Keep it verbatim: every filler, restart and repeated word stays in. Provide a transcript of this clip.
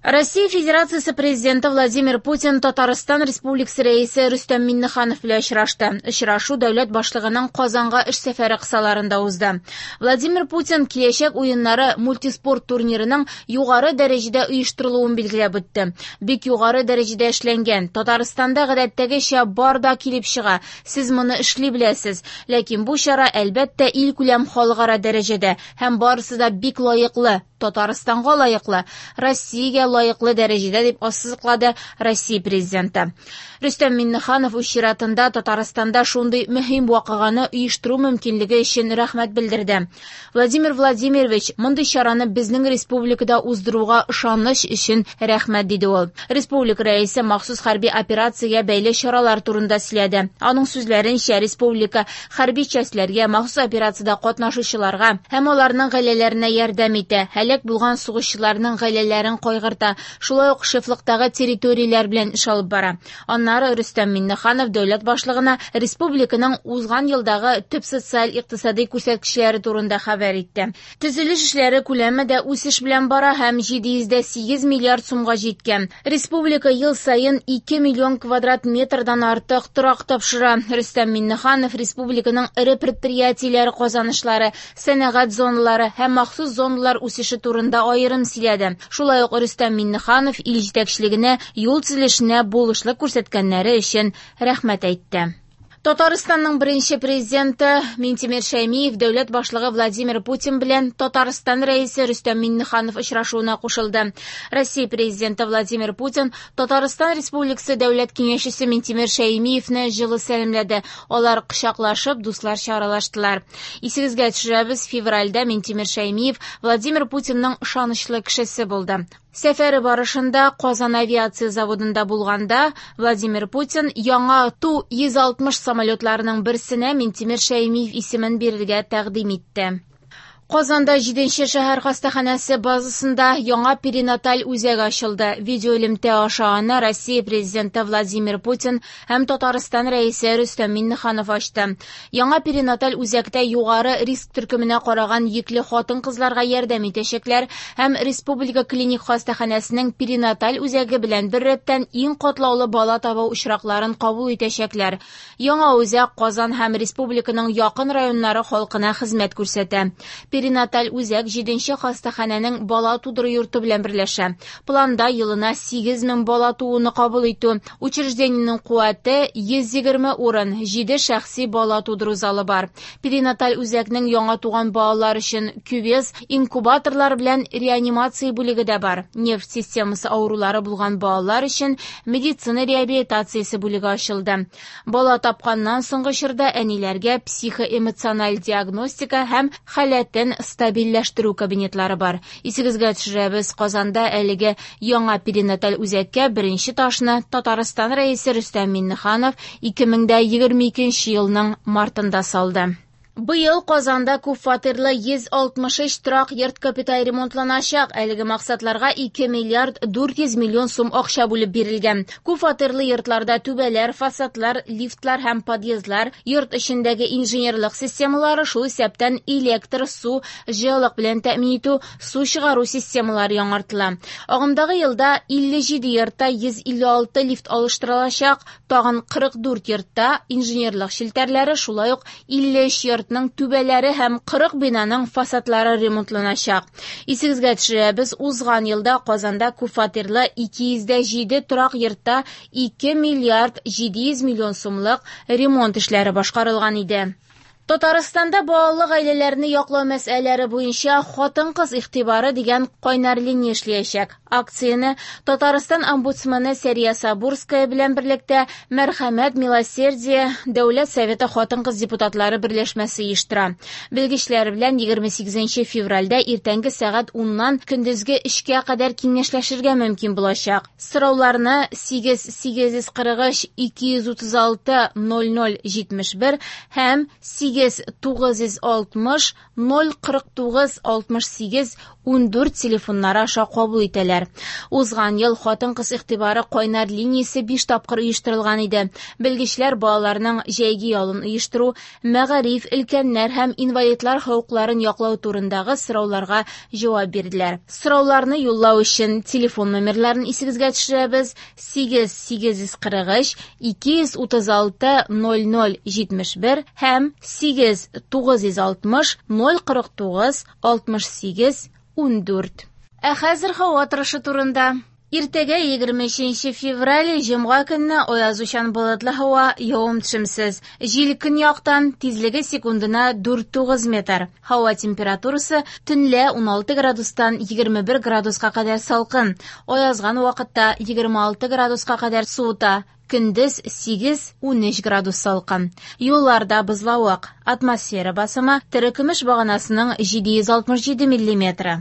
Россия Федерациясе Президенты Владимир Путин Татарстан Республикасы Рәисе Рөстәм Миңнеханов белән очрашты. Очрашу дәүләт башлыгының Казанга эш сәфәре кысаларында узды. Владимир Путин Киләчәк уеннары мультиспорт турнирының югары дәрәҗәдә оештырылуын билгеләп үтте. Бик югары дәрәҗәдә эшләнгән. Татарстанда гадәттәгечә бар да килеп чыга. Сез моны эшли беләсез. Ләкин бу чара, әлбәттә, илкүләм халыкара дәрәҗәдә һәм барысы да бик лаеклы, Татарстанга лаеклы, Россиягә лаеклы дәрәҗәдә, дип ассызыклады Россия Президенты. Рөстәм Миңнеханов үз чиратында Татарстанда шундый мөһим вакыйганы оештыру мөмкинлеге өчен рәхмәт белдерде. Владимир Владимирович, мондый чараны безнең республикада уздыруга ышаныч өчен рәхмәт, диде ул. Республика рәисе махсус хәрби операциягә бәйле чаралар турында сөйләде. Аның сүзләренчә, республика хәрби частьләргә, махсус операциядә катнашучыларга һәм аларның гаиләләренә ярдәм итә, һәлак булган сугышчыларның гаиләләрен кайгырта, шулай ук шефлыктагы территорияләр белән эш алып бара. Аннары Рөстәм Миңнеханов дәүләт башлыгына республиканың узган елдагы төп социаль-икътисади күрсәткечләре турында хәбәр итте. Төзелеш эшләре күләме дә үсеш белән бара һәм җиде йөз дә сигез миллиард сумга җиткән. Республика ел саен ике миллион квадрат метрдан артык торак тапшыра. Рөстәм Миңнеханов республиканың эре предприятиеләре казанышлары, сәнәгать зоналары һәм махсус зоналар үсеше турында аерым сөйләде. Шулай ук Рөстәм Миңнеханов ил җитәкчелегенә юл төзелешенә булышлык күрсәткәннәре өчен рәхмәт әйтте. Татарстанның беренче президенты Минтимер Шәймиев дәүләт башлыгы Владимир Путин белән Татарстан рәисе Рөстәм Миңнеханов очрашуына кушылды. Россия президенты Владимир Путин Татарстан Республикасы дәүләт киңәшчесе Минтимер Шәймиевне җылы сәламләде. Алар кочаклашып, дусларча аралаштылар. Исегезгә төшерәбез, февральдә Минтимер Шәймиев Владимир Путинның ышанычлы кешесе булды. Сәфәре барышында Казан авиация заводында булганда Владимир Путин яңа Ту йөз алтмыш самолетларының берсенә Минтимер Шәймиев исемен бирергә тәкъдим итте. Казанда җиденче шәһәр хастаханәсе базасында яңа перинаталь үзәк ачылды. Видеоэлемтә аша аны Россия президенты Владимир Путин һәм Татарстан рәисе Рөстәм Миңнеханов ачты. Яңа перинаталь үзәктә югары риск төркеменә караган йөкле хатын-кызларга ярдәм итәчәкләр һәм Республика клиник хастаханәсенең перинаталь үзәге белән беррәттән иң катлаулы бала табу очракларын кабул итәчәкләр. Яңа үзәк Казан һәм республиканың якын районнары халкына хезмәт күрсәтә. Перинаталь үзәк җиденче хастаханәнең бала тудыру йорты белән берләшә. Планда елына сигез мең бала тууны кабул итү. Учреждениенең куәте йөз егерме урын, җиде шәхси бала тудыру залы бар. Перинаталь үзәкнең яңа туган балалар өчен кювез, инкубаторлар белән реанимация бүлеге дә бар. Нерв системасы авырулары булган балалар өчен медицина реабилитациясе бүлеге ачылды. Бала тапканнан соңгы чорда әниләргә психоэмоциональ диагностика һәм халәтен стабильләштерү кабинетлары бар. Исегезгә төшерәбез, Казанда әлеге яңа перинаталь үзәккә беренче ташны Татарстан рәисе Рөстәм Миңнеханов ике мең дә егерме икенче елның мартында салды. Быел Казанда күп фатирлы йөз алтмыш өч торак йорт капиталь ремонтланачак. Әлеге максатларга ике миллиард дүрт йөз миллион сум акча бүлеп бирелгән. Күп фатирлы йортларда түбәләр, фасадлар, лифтлар һәм подъездлар, йорт эчендәге инженерлык системалары, шул исәптән электр, су, җылылык белән тәэмин итү, су чыгару системалары яңартыла. Агымдагы елда илле җиде йортта йөз илле алты лифт алыштырылачак, тагын кырык дүрт йортта инженерлык челтәрләре, шулай ук илле өч йорт түбәләре һәм кырык бинаның фасадлары ремонтланачак. Исегезгә төшерәбез, узган елда Казанда күп фатирлы ике йөз дә җиде торак йортта ике миллиард җиде йөз миллион сумлык ремонт эшләре башкарылган иде. Татарстанда балалы гаиләләрне яклау мәсьәләләре буенча хатын-кыз игътибары дигән кайнар линия эшләячәк. Акцияне Татарстан омбудсмены Сәрия Сабурская белән берлектә Мәрхәмәт Милосердие Дәүләт Советы хатын-кыз депутатлары берләшмәсе оештыра. Белгечләр белән егерме сигезенче февральдә иртәнге сәгать уннан көндезге өчкә кадәр киңәшләшергә мөмкин булачак. Сорауларны сигез сигез йөз кырык өч ике йөз утыз алты ноль ноль җитмеш бер һәм сигез Сигез тугыз йөз алтмыш ноль кырык тугыз алтмыш сигез ундүрт телефоннары аша кабул итәләр. Узган ел хатын-кыз игътибары кайнар линиясе биш тапкыр оештырылган иде. Белгечләр балаларның җәйге ялын оештыру, мәгариф, өлкәннәр һәм инвалидлар хокукларын яклау турындагы сорауларга җавап бирделәр. Сорауларны юллау өчен телефон номерларын исегезгә төшерәбез: сигез сигез йөз кырык өч ике йөз утыз алты ноль ноль җитмеш бер һәм сигез тугыз йөз алтмыш ноль кырык тугыз алтмыш сигез ундүрт. Ә хәзер һава торышы турында. Иртәгә егерме өченче февраль, җомга көнне аязучан болытлы һава, явым-төшемсез. Җил көньяктан, тизлеге секундына дүрт тугыз метр. Һава температурасы төнлә уналты градустан егерме бер градуска кадәр салкын. Аязган вакытта егерме алты градуска кадәр суыта. Көндез сигез унөч градус салкын. Юлларда бозлавык. Атмосфера басымы терекөмеш баганасының җиде йөз алтмыш җиде миллиметры.